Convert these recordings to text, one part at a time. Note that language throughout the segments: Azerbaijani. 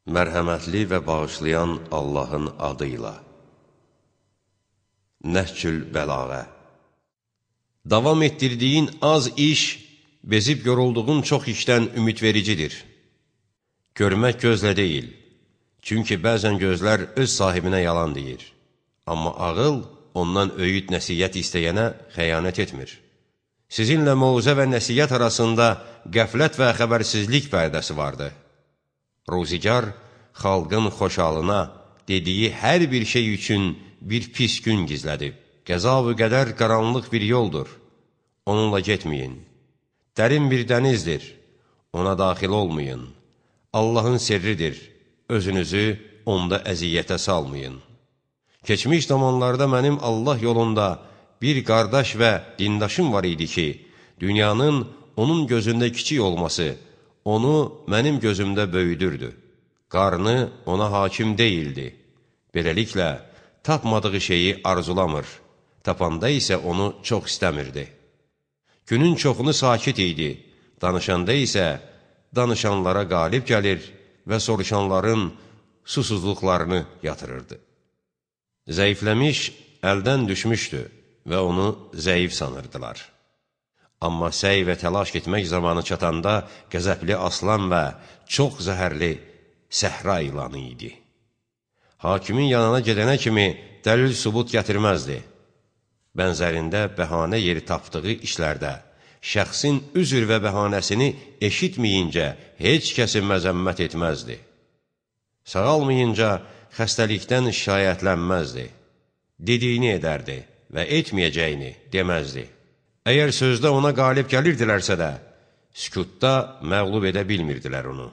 Mərhəmətli və bağışlayan Allahın adıyla. Nəhcül Bəlağə. Davam etdirdiyin az iş, bezib yorulduğun çox işdən ümidvericidir. Görmək gözlə deyil, çünki bəzən gözlər öz sahibinə yalan deyir. Amma ağıl ondan öyüd nəsiyyət istəyənə xəyanət etmir. Sizinlə mövzə və nəsiyyət arasında qəflət və xəbərsizlik pərdəsi vardır. Ruzigar, xalqın xoşalına dediyi hər bir şey üçün bir pis gün gizlədib. Qəza-vü qədər qaranlıq bir yoldur, onunla getməyin. Dərin bir dənizdir, ona daxil olmayın. Allahın sirridir, özünüzü onda əziyyətə salmayın. Keçmiş zamanlarda mənim Allah yolunda bir qardaş və dindaşım var idi ki, dünyanın onun gözündə kiçik olması onu mənim gözümdə böyüdürdü. Qarnı ona hakim deyildi. Beləliklə, tapmadığı şeyi arzulamır, tapanda isə onu çox istəmirdi. Günün çoxunu sakit idi, danışanda isə danışanlara qalib gəlir və soruşanların susuzluqlarını yatırırdı. Zəifləmiş, əldən düşmüşdü və onu zəif sanırdılar. Amma səy və təlaş etmək zamanı çatanda qəzəbli aslan və çox zəhərli səhra ilanı idi. Hakimin yanına gedənə kimi dəlil sübut gətirməzdi. Bənzərində bəhanə yeri tapdığı işlərdə şəxsin üzr və bəhanəsini eşitməyincə heç kəsi məzəmmət etməzdi. Sağalmayınca xəstəlikdən şikayətlənməzdi. Dediyini edərdi və etməyəcəyini deməzdi. Əgər sözdə ona qalib gəlirdilərsə də, sükutda məğlub edə bilmirdilər onu.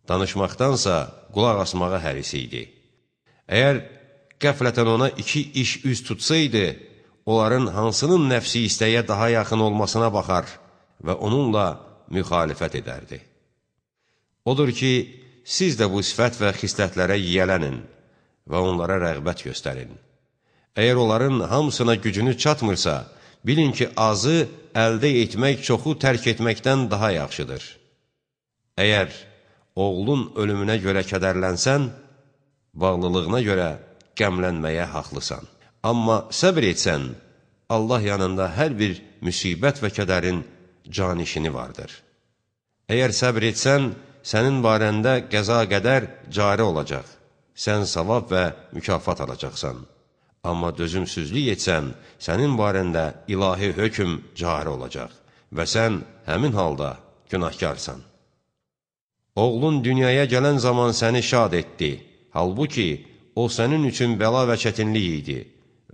Danışmaqdansa qulaq asmağa hərisi idi. Əgər qəflətən ona iki iş üz tutsaydı, onların hansının nəfsi istəyə daha yaxın olmasına baxar və onunla müxalifət edərdi. Odur ki, siz də bu sifət və xislətlərə yiyələnin və onlara rəğbət göstərin. Əgər onların hamısına gücünüz çatmırsa, bilin ki, azı əldə etmək çoxu tərk etməkdən daha yaxşıdır. Əgər oğlun ölümünə görə kədərlənsən, bağlılığına görə qəmlənməyə haqlısan. Amma səbr etsən, Allah yanında hər bir müsibət və kədərin canişini vardır. Əgər səbr etsən, sənin barəndə qəza qədər cari olacaq. Sən savab və mükafat alacaqsan. Amma dözümsüzlük etsən, sənin barəndə ilahi hökm cari olacaq və sən həmin halda günahkarsan. Oğlun dünyaya gələn zaman səni şad etdi, halbuki o sənin üçün bəla və çətinlik idi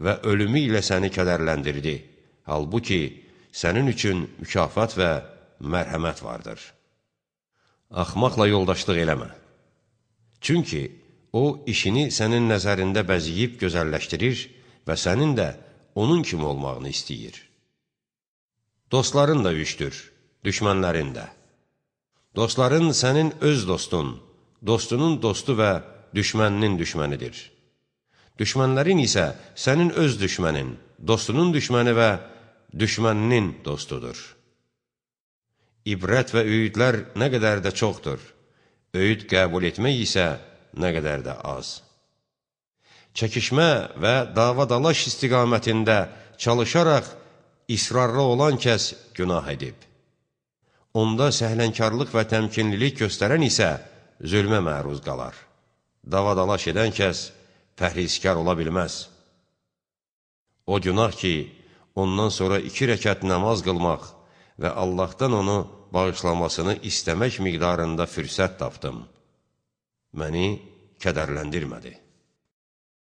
və ölümü ilə səni kədərləndirdi, halbuki sənin üçün mükafat və mərhəmət vardır. Axmaqla yoldaşlıq eləmə. Çünki o, işini sənin nəzərində bəziyib gözəlləşdirir və sənin də onun kimi olmağını istəyir. Dostların da üçdür, düşmənlərin də. Dostların sənin öz dostun, dostunun dostu və düşməninin düşmənidir. Düşmənlərin isə sənin öz düşmənin, dostunun düşməni və düşməninin dostudur. İbrət və öyüdlər nə qədər də çoxdur, öyüd qəbul etmək isə nə qədər də az. Çəkişmə və dava-dalaş istiqamətində çalışaraq israrlı olan kəs günah edib. Onda səhlənkarlıq və təmkinlilik göstərən isə zülmə məruz qalar. Dava-dalaş edən kəs pərhizkar ola bilməz. O günah ki, ondan sonra 2 rəkət namaz qılmaq və Allahdan onu bağışlamasını istəmək miqdarında fürsət tapdım. Məni kədərləndirmədi.